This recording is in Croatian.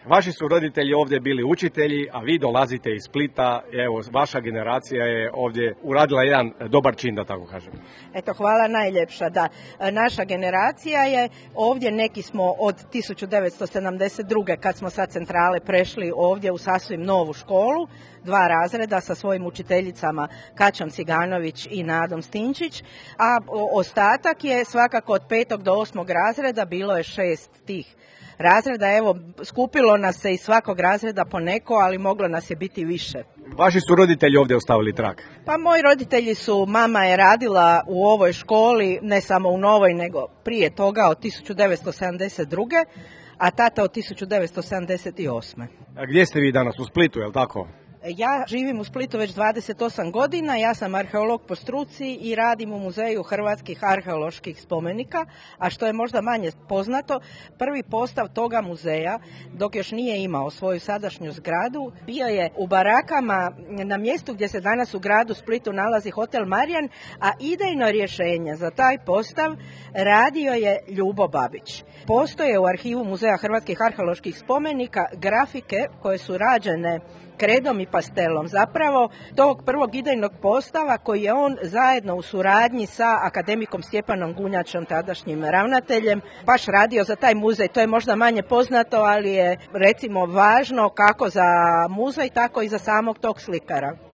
Vaši su roditelji ovdje bili učitelji, a vi dolazite iz Splita. Evo, vaša generacija je ovdje uradila jedan dobar čin, da tako kažem. Eto, hvala najljepša, da. Naša generacija je ovdje, neki smo od 1972. kad smo sa centrale prešli ovdje u sasvim novu školu, 2 razreda sa svojim učiteljicama Kaćom Ciganović i Nadom Stinčić, a ostatak je svakako od 5. do 8. razreda, bilo je 6 tih razreda. Evo, skupilo nas se iz svakog razreda po neko, ali moglo nas je biti više. Vaši su roditelji ovdje ostavili trag? Pa moji roditelji su, mama je radila u ovoj školi, ne samo u novoj, nego prije toga od 1972. a tata od 1978. A gdje ste vi danas? U Splitu, je li tako? Ja živim u Splitu već 28 godina, ja sam arheolog po struci i radim u Muzeju hrvatskih arheoloških spomenika, a što je možda manje poznato, prvi postav toga muzeja, dok još nije imao svoju sadašnju zgradu, bio je u barakama na mjestu gdje se danas u gradu Splitu nalazi Hotel Marijan, a idejno rješenje za taj postav radio je Ljubo Babić. Postoje u arhivu Muzeja hrvatskih arheoloških spomenika grafike koje su rađene kredom i pastelom, zapravo tog prvog idejnog postava koji je on zajedno u suradnji sa akademikom Stjepanom Gunjačom, tadašnjim ravnateljem, baš radio za taj muzej. To je možda manje poznato, ali je recimo važno kako za muzej, tako i za samog tog slikara.